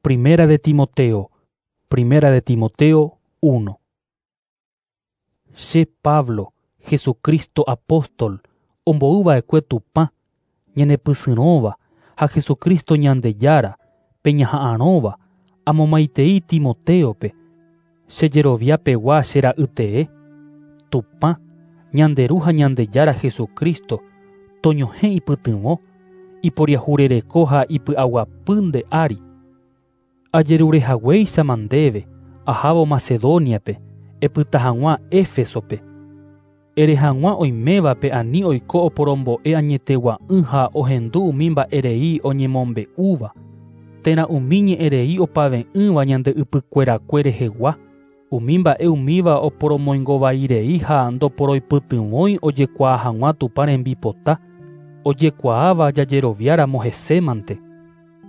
Primera de Timoteo, Primera de Timoteo 1. Che Pablo, Jesucristo apóstol, ombouva'ekue Tupã, ñanepysyrõva ha Jesucristo Ñandejára, pe ñaha'arõva, amomaitei Timoteo-pe, che jeroviapegua che ra'ytee, Tupã, ñande Ru ha Ñandejára Jesucristo, toñohẽ ipytyvõ, iporiahurereko ha ipy'aguapy nde ári. Ajerurehaguéichama ndéve, ahávo Macedoniape, epyta hag̃ua Éfesope. Ere hag̃ua oimévape ani oiko oporombo'e añetegua'ỹ ha ohendu umi mba'erei oñemombe'úva, térã umi ñe'ẽrei opave'ỹva ñande ypykuerakue rehegua, umi mba'e umíva oporomoingovairei ha ndoporoipytyvõi ojekuaa hag̃ua Tupã rembipota, ojekuaáva jajeroviáramo hesémante.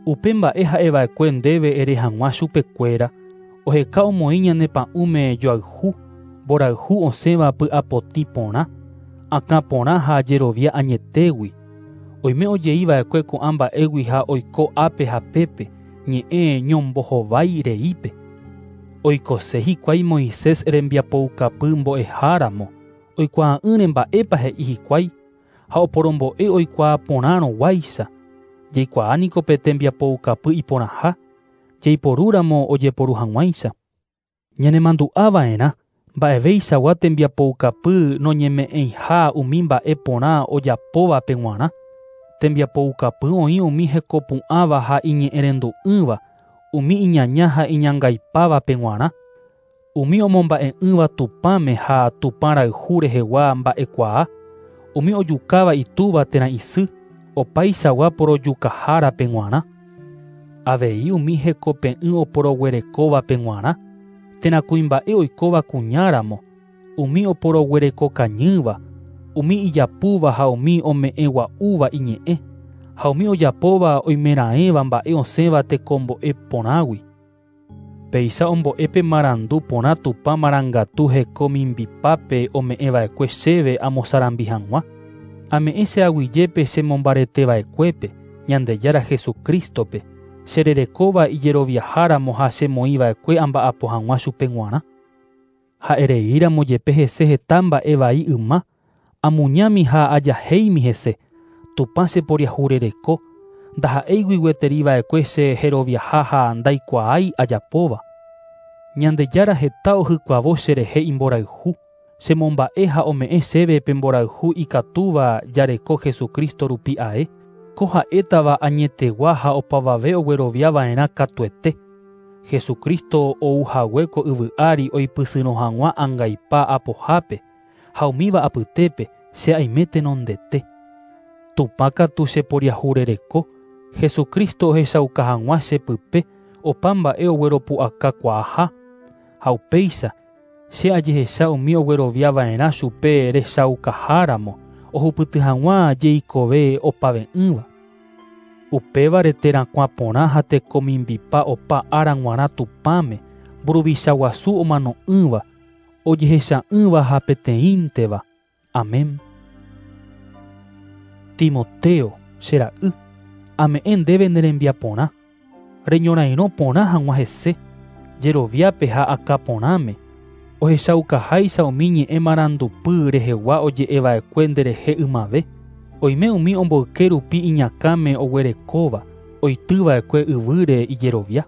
Upe mba'e ha'eva'ekue ndéve ere hag̃ua chupekuéra, oheka omoĩ ñane pa'ũme joayhu, mborayhu osẽva py'apotĩ porã, akã porã ha jerovia añetégui. Oime ojeiva'ekue ko'ã mba'égui ha oiko ápe ha pépe, ñe'ẽ ñombohovái reípe. Oikose hikuái Moisés rembiapoukapy mbo'eháramo, oikuaa'ỹre mba'épa he'i hikuái, ha oporombo'e oikuaa porãrõguáicha. Jaikuaániko pe tembiapoukapy iporãha, jaiporúramo ojeporu hag̃uáicha. Ñanemandu'ava'erã mba'eveichagua tembiapoukapy noñeme'ẽiha umi mba'e porã ojapóvape g̃uarã. Tembiapoukapy oĩ umi hekopu'ãva ha iñe'ẽrendu'ỹva, umi iñaña ha iñangaipávape g̃uarã, umi omomba'e'ỹva Tupãme ha Tupã rayhu rehegua mba'ekuaa, umi ojukáva itúva térã isy, opaichagua porojukahárape g̃uarã. Avei umi hekope'ỹ oporoguerekóvape g̃uarã, térã kuimba'e oikóva kuñáramo, umi oporoguerekokañýva, umi ijapúva ha umi ome'ẽgua'úva iñe'ẽ, ha umi ojapóva oimeraẽva mba'e osẽva tekombo'e porãgui. Péicha ombo'épe marandu porã Tupã marangatu heko mimbipápe ome'ẽva'ekue chéve amosarambi hag̃ua. Ame'ẽ che aguyjépe chemombareteva'ekuépe, Ñandejára Jesucristo-pe, chererekóva ijeroviaháramo ha chemoĩva'ekue amba'apo hag̃ua chupe g̃uarã. Ha'ereíramo jepe hese heta mba'e vai yma, amuñámi ha ajahéimi hese, Tupã cheporiahurereko, ndaha'éigui gueteriva'ekue che jeroviaha ha ndaikuaái ajapóva. Ñandejára heta ohykuavo cherehe imborayhu, chemomba'e ha ome'ẽ chéve pe mborayhu ikatúva jareko Jesucristo rupi ae, ko ha'étava añetegua ha opavave ogueroviava'erã katuete. Jesucristo ouhague ko yvy ári oipysyrõ hag̃ua angaipa apohápe, ha umíva apytépe che aime tenondete. Tupã katu cheporiahurereko, Jesucristo ohechauka hag̃ua chepype opa mba'e ogueropu'akakuaaha, ha upéicha che ajehecha umi ogueroviava'erã chupe rechaukaháramo ohupyty hag̃ua jeikove opave'ỹva. Upévare terakuã porã ha tekomimbipa opa ára g̃uarã Tupãme, mburuvicha guasu omano'ỹva, ojehecha'ỹva ha peteĩnteva. Amén. Timoteo, che ra'y, ame'ẽ ndéve ne rembiaporã, reñorairõ porã hag̃ua hese, jeroviápe ha akã porãme, ohechaukaháicha umi ñe'ẽ marandupy rehegua oje'eva'ekue nderehe ymave, oime umi omboyke rupi iñakãme oguerekóva, oitýva'ekue yvýre ijerovia.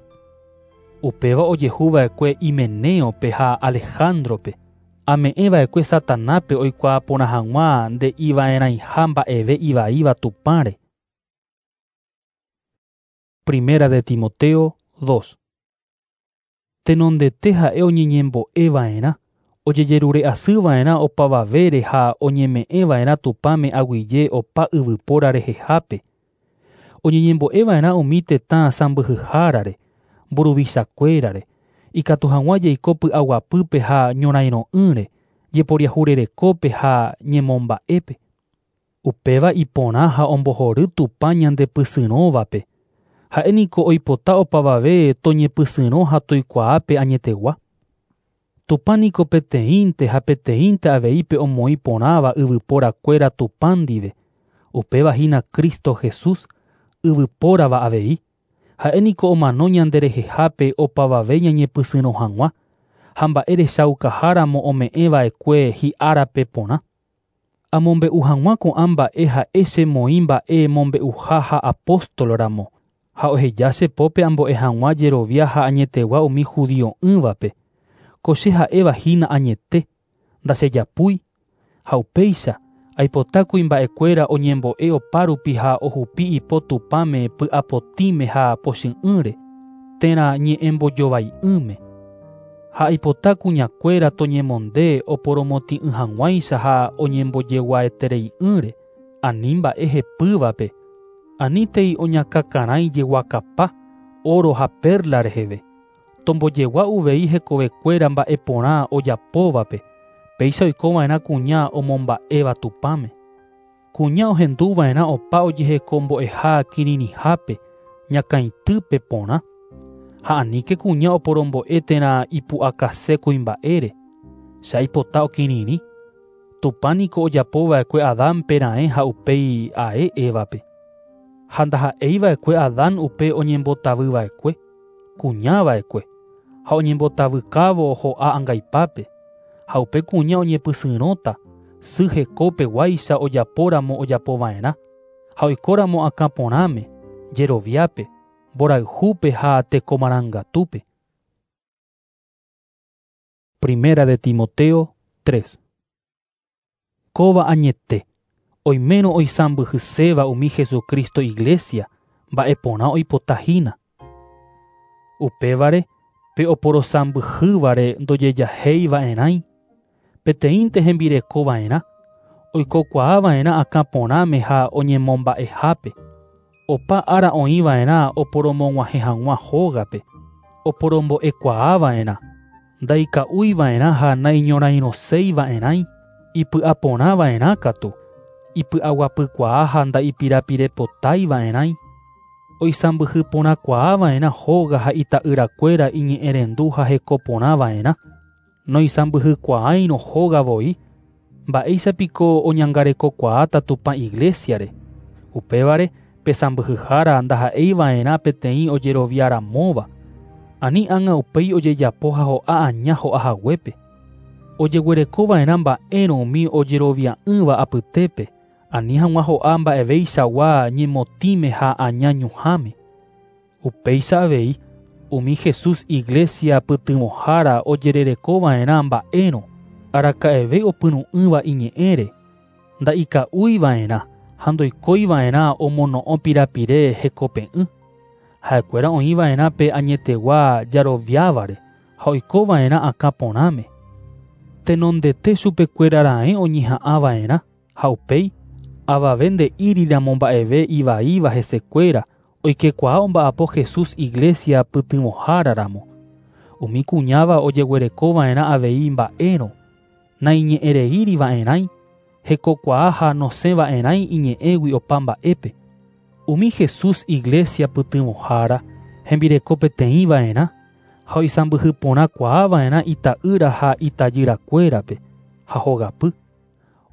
Upéva ojehuva'ekue Himeneope ha Alejandrope, ame'ẽva'ekue Satanápe oikuaa porã hag̃ua nde'iva'erãiha mba'eve ivaíva Tupãre. Primera de Timoteo 2. Tenondete ha'e oñeñembo'eva'erã, ojejerure'asyva'erã opavavére ha oñeme'ẽva'erã Tupãme aguyje opa yvypóra rehehápe. Oñeñembo'eva'erã umi tetã sãmbyhyhárare, mburuvichakuérare, ikatu hag̃ua jaiko py'aguapýpe ha ñorairõ'ỹre, jeporiahurerekópe ha ñemomba'épe. Upéva iporã ha ombohory Tupã ñandepysyrõvape. Ha'éniko oipota opavave toñepysyrõ ha toikuaápe añetegua. Tupãniko peteĩnte ha peteĩnte avei pe omoĩ porãva yvyporakuéra Tupã ndive, upéva hína Cristo Jesús, yvypórava avei. Ha'e niko omano ñanderehehápe opavave ñañepysyrõ hag̃ua, ha mba'erechaukaháramo ome'ẽva'ekue hi'árape porã. Amombe'u hag̃ua ko'ã mba'e ha'e chemoĩ mba'e mombe'uha ha apóstol ramo, ha oheja che pópe ambo'e hag̃ua jerovia ha añetegua umi judio'ỹvape. Ko che ha'evahína añete, ndachejapúi, ha upéicha aipota kuimba'ekuéra oñembo'e opárupi ha ohupi ipo Tupãme py'apotĩme ha pochy'ỹre, térã ñe'ẽmbojovai'ỹme. Ha aipota kuñakuéra toñemonde oporomotĩ'ỹ hag̃uáicha ha oñembojeguaeterei'ỹre, ani mba'e hepývape, anítei oñakakarãi jeguakapa, oro ha perla reheve. Tombojegua uvei hekovekuéra mba'eporã ojapóvape, péicha oikova'erã kuña omomba'éva Tupãme. Kuña ohenduva'erã opa ojehekombo'eha kirirĩhápe, ñakãitýpe porã. Ha aníke kuña oporombo'e térã ipu'akase kuimba'ére. Che aipota okirirĩ. Tupã niko ojapova'ekue Adánpe raẽ ha upéi ae Évape. Ha ndaha'eiva'ekue Adán upe oñembotavyva'ekue, kuñava'ekue, ha oñembotavykávo ho'a angaipápe. Ha upe kuña oñepysyrõta, sy hekopeguáicha ojapóramo ojapova'erã, ha oikóramo akã porãme, jeroviápe, mborayhúpe ha tekomarangatúpe. Primera de Timoteo 3. Kóva añete, oimérõ oisãmbyhyséva umi Jesucristo iglesia, mba'eporã oipotahína. Upévare, pe oporosãmbyhývare ndojejahéiva'erãi, peteĩnte hembirekova'erã, oikokuaava'erã akã porãme ha oñemomba'ehápe. Opa ára oĩva'erã oporomog̃uahẽ hag̃ua hógape, oporombo'ekuaava'erã, ndaika'úiva'erã ha naiñorairõseiva'erãi, ipy'aporãva'erã katu, ipy'aguapykuaa ha ndaipirapirepotaiva'erãi, oisãmbyhyporãkuaava'erã hóga ha ita'yrakuéra iñe'ẽrendu ha hekoporãva'erã, noisãmbyhykuaáirõ hóga voi, mba'éichapiko oñangarekokuaáta Tupã iglesiare. Upévare pe sãmbyhyhára ndaha'eiva'erã peteĩ ojeroviaramóva, ani ág̃a upéi ojejapo ha ho'a aña ho'ahaguépe. Ojeguerekova'erã mba'érõ umi ojerovia'ỹva apytépe, ani hag̃ua ho'a mba'eveichagua ñemotĩme ha aña ñuhãme. Upéicha avei, umi Jesús iglesia pytyvõhára ojererekova'erã mba'érõ, araka'eve opyrũ'ỹva iñe'ẽre, nda'ika'úiva'erã ha ndoikóiva'erã omono'õ pirapire hekope'ỹ. Ha'ekuéra oĩva'erã pe añetegua jaroviávare ha oikova'erã akã porãme. Tenondete chupekuéra raẽ oñeha'ãva'erã ha upéi avave nde'íriramo mba'eve ivaíva hesekuéra oikekuaa omba'apo Jesús iglesia pytyvõháraramo. Umi kuñáva ojeguerekova'erã avei mba'érõ, naiñe'ẽreíriva'erãi, hekokuaa ha nosẽva'erãi iñe'ẽgui opa mba'épe. Umi Jesús iglesia pytyvõhára hembireko peteĩva'erã ha oisãmbyhyporãkuaava'erã ita'ýra ha itajyrakuérape ha hogapy.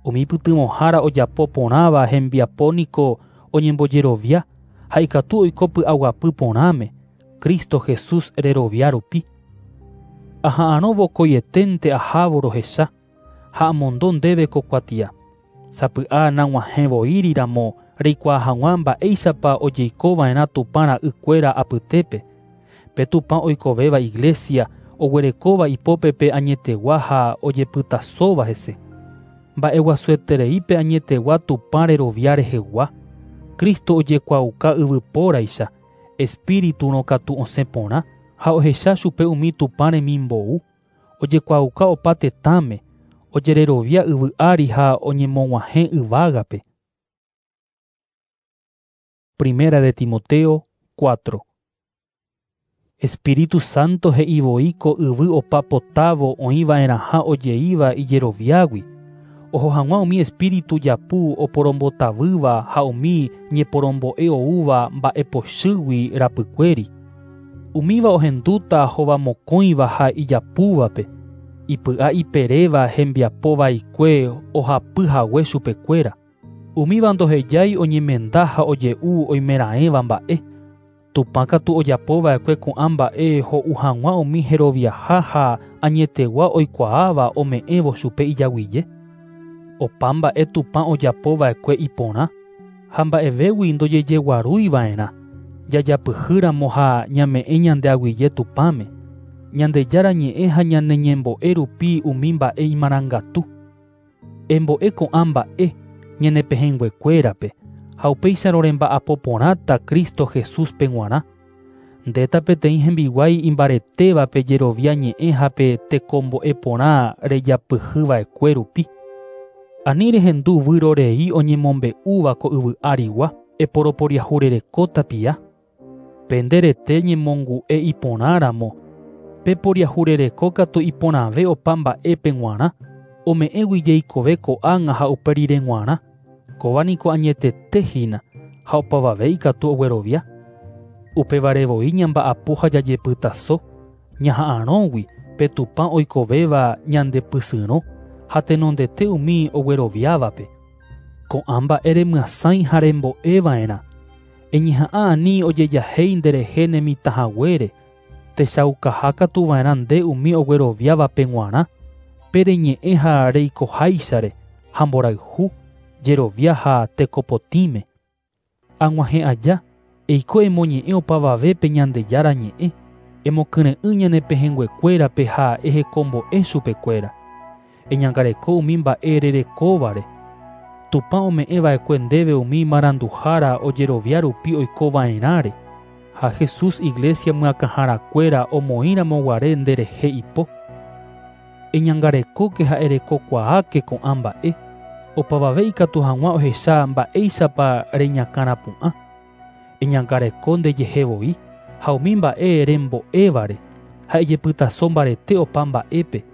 Umi pytyvõhára ojapo porãva hembiapo niko oñembojerovia ha ikatu oiko py'aguapy porãme, Cristo Jesús rerovia rupi. Aha'arõ vokoieténte ahávo rohecha ha amondo ndéve ko kuatia. Sapy'a nag̃uahẽvoíriramo reikuaa hag̃ua mba'éichapa ojeikova'erã Tupã ra'ykuéra apytépe. Pe Tupã oikovéva iglesia oguerekóva ipópe pe añetegua ha ojepytasóva hese. Mba'eguasueterei pe añetegua Tupã rerovia rehegua. Cristo ojekuaauka yvypóraicha, espíriturõ katu osẽ porã ha ohecha chupe umi Tupã remimbou, ojekuaauka opa tetãme, ojererovia yvy ári ha oñemog̃uahẽ yvágape. Primera de Timoteo 4. Espíritu Santo he'ivoi ko yvy opa potávo oĩva'erãha ojeíva ijeroviágui, oho hag̃ua umi espíritu japu oporombotavýva ha umi ñeporombo'e oúva mba'epochýgui rapykuéri. Umíva ohendúta hovamokõiva ha ijapúvape, ipy'a iperéva hembiapovaikue ohapyhague chupekuéra. Umíva ndohejái oñemenda ha oje'u oimeraẽva mba'e. Tupã katu ojapova'ekue ko'ã mba'e ho'u hag̃ua umi heroviaha ha añetegua oikuaáva ome'ẽvo chupe ijaguije. Opa mba'e Tupã ojapova'ekue iporã ha mba'evégui ndojejeguarúiva'erã jajapyhýramo ha ñame'ẽ ñande aguyje Tupãme. Ñandejára ñe'ẽ ha ñane ñembo'e rupi umi mba'e imarangatu. Embo'e ko'ã mba'e ñane pehẽnguekuérape ha upéicharõ remba'apo porãta Cristo Jesúspe g̃uarã. Ndéta peteĩ hembiguái imbaretévape jerovia ñe'ẽ ha pe tekombo'e porã rejapyhyva'ekue rupi. Ani rehendu vyrorei oñemombe'úva ko yvy arigua eporoporiahurereko tapia. Pe nde rete ñemongu'e iporãramo pe poriahurereko katu iporãve opa mba'épe g̃uarã ome'ẽgui jeikove ko'ág̃a ha upe rire g̃uarã. Kóva niko añetete hína ha opavave ikatu oguerovia. Upévare voi ñamba'apo ha jajepytaso ñaha'arõgui pe Tupã oikovéva ñandepysyrõ ha tenondete umi ogueroviávape. Ko'ã mba'e remyasãi ha rembo'eva'erã. Eñeha'ã ani ojejahéi nderehe nemitãhaguére techaukaha katu va'erã nde umi ogueroviávape g̃uarã pe reñe'ẽ ha reikoháichare ha mborayhu jerovia ha tekopotĩme. Ag̃uahẽ aja eiko emoñe'ẽ opavavépe Ñandejára ñe'ẽ emokyre'ỹ ñane pehẽnguekuérape ha ehekombo'e chupekuéra. Eñangareko umi mba'e rerekóvare. Tupã ome'ẽva'ekue ndéve umi maranduhára ojerovia rupi oikova'erãre ha Jesús iglesia myakãharakuéra omoĩramoguare nderehe ipo. Eñangarekóke ha erekokuaáke ko'ã mba'e opavave ikatu hag̃ua ohecha mba'éichapa reñakãrapu'ã. Eñangareko ndejehe voi ha umi mba'e rembo'évare ha ejepytaso mbarete opa mba'épe.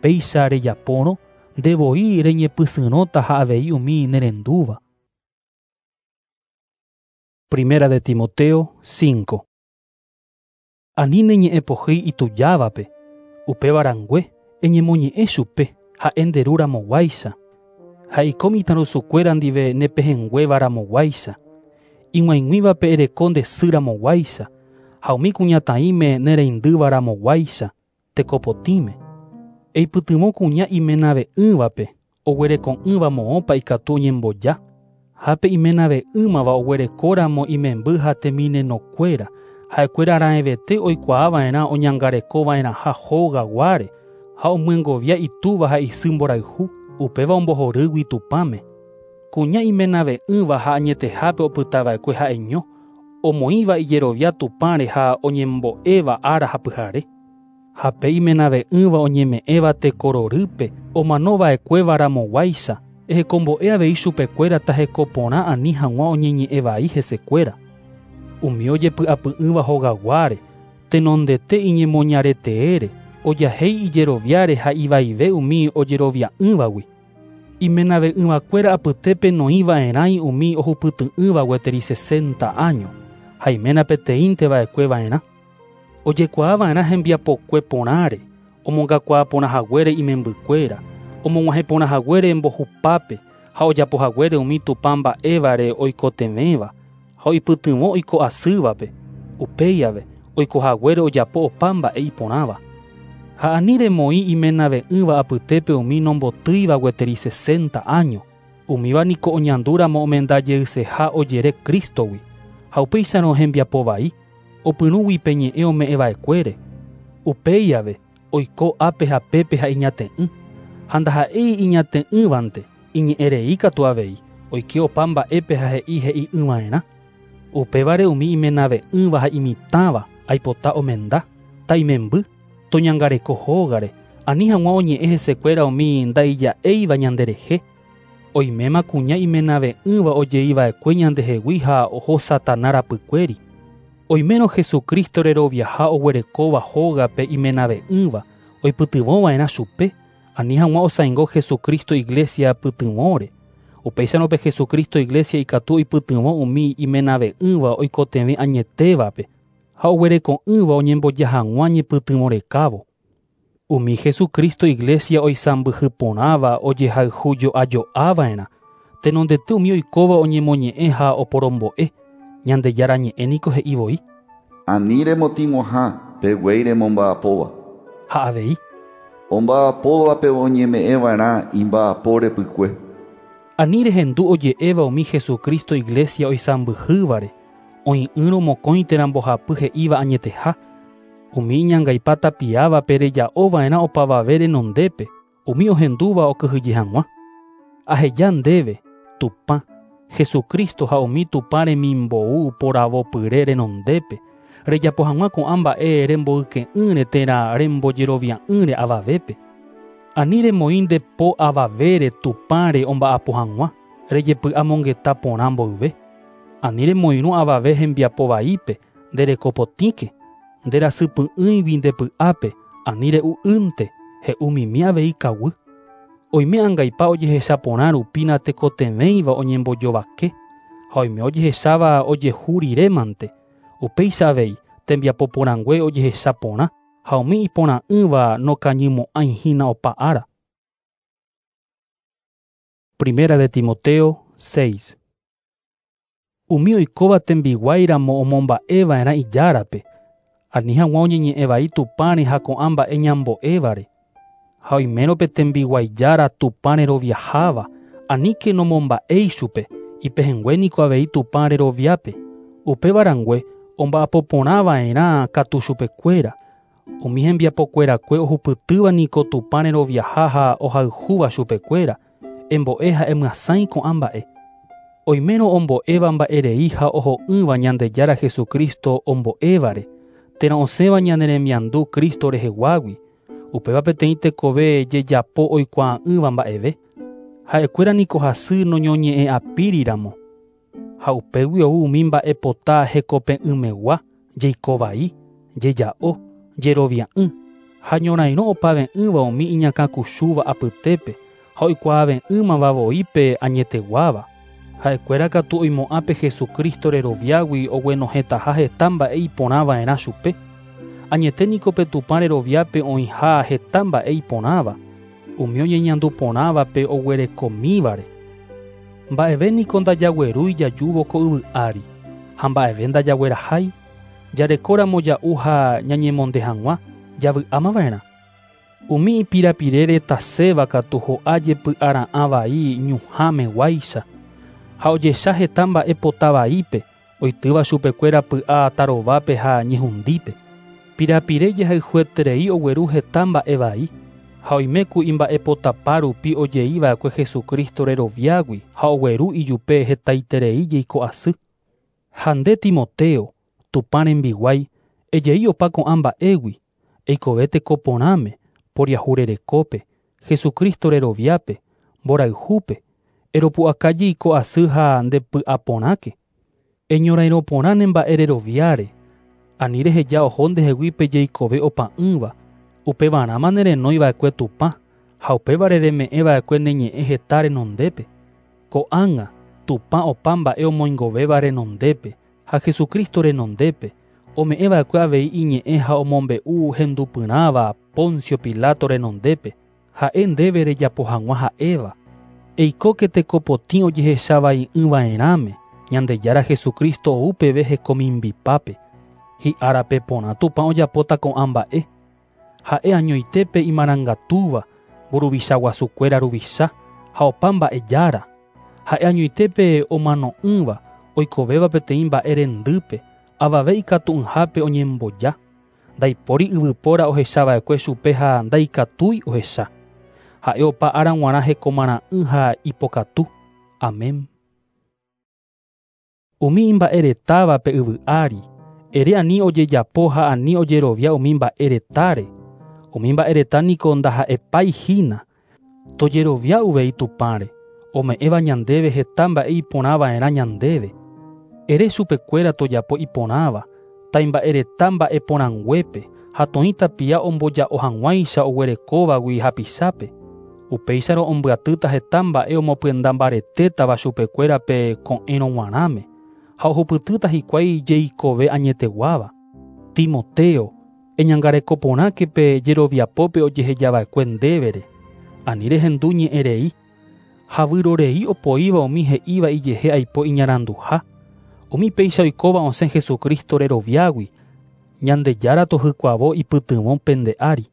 Péicha rejapórõ nde voi reñepysyrõta ha avei umi nerendúva. Primera de Timoteo 5. Ani neñe'ẽ pohýi itujávape, upéva rangue eñemoñe'ẽ chupe ha'e nderúramoguáicha ha iko mitãrusukuéra ndive nepehẽnguévaramoguáicha ig̃uaig̃uívape ereko nde sýramoguáicha ha umi kuñataĩme nereindývaramoguáicha tekopotĩme. Eipytyvõ kuña imenave'ỹvape oguereko'ỹva moõpa ikatu oñemboja ha pe imenave'ỹmava oguerekóramo imemby ha teminenokuéra ha'ekuéra raẽvete oikuaava'erã oñangarekova'erãha hogaguáre ha omyengovia itúva ha isy mborayhu upéva ombohorýgui Tupãme. Kuña imenave'ỹva ha añetehápe opytava'ekue ha'eño omoĩva ijerovia Tupãre ha oñembo'éva ára ha pyhare. Ha pe imenave'ỹva oñeme'ẽva tekororýpe omanova'ekuévaramoguáicha ehekombo'e avei chupekuéra tahekoporã ani hag̃ua oñeñe'ẽvai hesekuéra. Umi ojepy'apy'ỹva hogaguáre tenondete iñemoñareteére ojahéi ijeroviáre ha ivaive umi ojerovia'ỹvagui. Imenave'ỹvakuéra apytépe noĩva'erãi umi ohupyty'ỹva gueteri 60 año ha iména peteĩnteva'ekueva'erã. Ojekuaava'erã hembiapokue porãre omongakuaa porãhaguére imembykuéra omog̃uahẽ porãhaguére mbohupápe ha ojapohaguére umi Tupã mba'évare oikotevẽva ha oipytyvõ oiko asývape upéi ave oikohaguére ojapo opa mba'e iporãva. Ha ani remoĩ imenave'ỹva apytépe umi nombotýiva gueteri 60 año umíva niko oñandúramo omendajeyseha ojere Cristogui ha upéicharõ hembiapo vai opyrũgui pe ñe'ẽ ome'ẽva'ekuére. Upéi ave oiko ápe ha pépe ha iñate'ỹ ha ndaha'éi iñate'ỹvante iñe'ẽrei katu avei oike opa mba'épe ha he'i he'i'ỹva'erã. Upévare umi imenave'ỹva ha imitãva aipota omenda ta'imemby toñangareko hógare ani hag̃ua oñe'ẽ hesekuéra umi ndaija'éiva ñanderehe. Oiméma kuña imenave'ỹva ojeiva'ekue ñandehegui ha oho Satana rapykuéri. Oimérõ Jesucristo reroviaha oguerekóva hógape imenave'ỹva oipytyvõva'erã chupe ani hag̃ua osãingo Jesucristo iglesia pytyvõre. Upéicharõ pe Jesucristo iglesia ikatu oipytyvõ umi imenave'ỹva oikotevẽ añetévape ha oguereko'ỹva oñemboja hag̃ua ñepytyvõ rekávo. Umi Jesucristo iglesia oisãmbyhy porãva ojehayhujo'ajo'ava'erã tenondete umi oikóva oñemoñe'ẽ ha oporombo'e. Ñandejára Ñe'ẽ niko he'i voi: Ani remotĩguaha pe guéi remomba'apóva. Ha avei: Omba'apóvape oñeme'ẽva'erã imba'apo repykue. Ani rehendu oje'éva umi Jesucristo iglesia oisãmbyhývare, oĩ'ỹrõ mokõi térã mbohapy he'íva añeteha. Umi iñangaipa tapiávape reja'ova'erã opavave renondépe, umi ohendúva okyhyje hag̃ua. Aheja ndéve, Tupã, Jesucristo ha umi Tupã remimbou poravopyre renondépe, rejapo hag̃ua ko'ã mba'e remboyke'ỹre térã rembojerovia'ỹre avavépe. Ani remoĩ nde po avavére Tupãre omba'apo hag̃ua, rejepy'amongeta porã mboyve. Ani remoirũ avave hembiapo vaípe, nde rekopotĩke, nde rasypy'ỹigui nde py'ápe, ani re'u'ỹnte, he'umimi avei kaguy. Oime angaipa ojehecha porã rupi natekotevẽiva oñembojovake, ha oime ojehecháva ojehu rirémante. Upéicha avei tembiapo porãngue ojehecha porã ha umi iporã'ỹva nokañymo'ãihína opa ára. Primera de Timoteo 6. Umi oikóva tembiguáiramo omomba'eva'erã ijárape, ani hag̃ua oñeñe'ẽvai Tupãre ha ko'ã mba'e ñambo'évare. Ha oimérõ pe tembiguaijára Tupã reroviaháva, aníke nomomba'éi chupe, ipehẽngue niko avei Tupã reroviápe. Upéva rangue omba'apo porãva'erã katu chupekuéra. Umi hembiapokuerakue ohupytýva niko Tupã reroviaha ha ohayhúva chupekuéra, embo'e ha emyasãi ko'ã mba'e. Oimérõ ombo'éva mba'erei ha oho'ỹva Ñandejára Jesucristo ombo'évare, térã osẽva ñane remiandu Cristo reheguágui, upéva peteĩ tekove jejapo oikuaa'ỹva mba'eve. Ha'ekuéra niko hasy noñoñe'ẽ'apíriramo. Ha upégui ou umi mba'epota hekope'ỹmegua, jeikovai, jeja'o, jerovia'ỹ, ha ñorairõ opave'ỹva umi iñakãkuchúva apytépe ha oikuaave'ỹmava voi pe añeteguáva. Ha'ekuéra katu oimo'ã pe Jesucristo reroviágui oguenohẽtaha heta mba'e iporãva'erã chupe. Añete niko pe Tupã reroviápe oĩha heta mba'e iporãva, umi oñeñandu porãvape oguerekomívare. Mba'eve niko ndajaguerúi jajúvo ko yvy ári, ha mba'eve ndajaguerahái, jarekóramo ja'u ha ñañemonde hag̃ua, javy'ámava'erã. Umi ipirapirére taséva katu ho'a jepy'ara'ã vai ñuhãmeguáicha, ha ojecha heta mba'e pota vaípe, oitýva chupekuéra py'a tarovápe ha ñehundípe. Pirapire jehayhueterei ogueru heta mba'e vai, ha oime ku imba'epotapa rupi ojeiva'ekue Jesucristo reroviágui ha ogueru ijupe hetaiterei jeiko asy. Ha nde Timoteo, Tupã rembiguái, ejei opa ko'ã mba'égui, eikove teko porãme, poriahurerekópe, Jesucristo reroviápe, mborayhúpe, eropu'aka jeiko asy ha ndepy'aporãke. Eñorairõ porã ne mba'e reroviáre, ani reheja oho ndehegui pe jeikove opa'ỹva, upevarãma nerenóiva'ekue Tupã, ha upévare reme'ẽva'ekue ne ñe'ẽ heta renondépe. Ko'ág̃a, Tupã opa mba'e omoingovéva renondépe, ha Jesucristo renondépe, ome'ẽva'ekue avei iñe'ẽ ha omombe'u hendupyrãva Poncio Pilato renondépe, ha'e ndéve rejapo hag̃ua ha'éva. Eikóke tekopotĩ ojehechavai'ỹva'erãme, Ñandejára Jesucristo ou peve hekomimbipápe. Hi'árape porã Tupã ojapóta ko'ã mba'e. Ha'e añoitépe imarangatúva, mburuvicha guasukuéra ruvicha ha opa mba'e jára. Ha'e añoitépe omano'ỹva, oikovéva peteĩ mba'e rendýpe, avave ikatu'ỹhápe oñemboja. Ndaipóri yvypóra ohechava'ekue chupe ha ndaikatúi ohecha. Ha'e opa ára g̃uarã hekomarã'ỹ ha ipokatu. Amén. Umi imba'eretáva pe yvy ári, ere ani ojejapo ha ani ojerovia umi mba'eretáre. Umi mba'ereta niko ndaha'epaihína. Tojerovia uvei Tupãre, ome'ẽva ñandéve heta mba'e iporãva'erã ñandéve. Ere chupekuéra tojapo iporãva, taimba'ereta mba'e porãnguépe ha toĩ tapia omboja'o hag̃uáicha oguerekóvagui hapichápe. Upéicharõ ombyatýta heta mba'e omopyenda mbaretétava chupekuéra pe ko'ẽrõ g̃uarãme, ha ohupytýta hikuái jeikove añeteguáva. Timoteo, eñangareko porãke pe jeroviapópe ojehejava'ekue ndévere. Ani rehendu ñe'ẽrei, ha vyrorei opoíva umi he'íva ijehe aipo iñaranduha. Umi péicha oikóva osẽ Jesucristo reroviágui. Ñandejára tohykuavo ipytyvõ pende ári.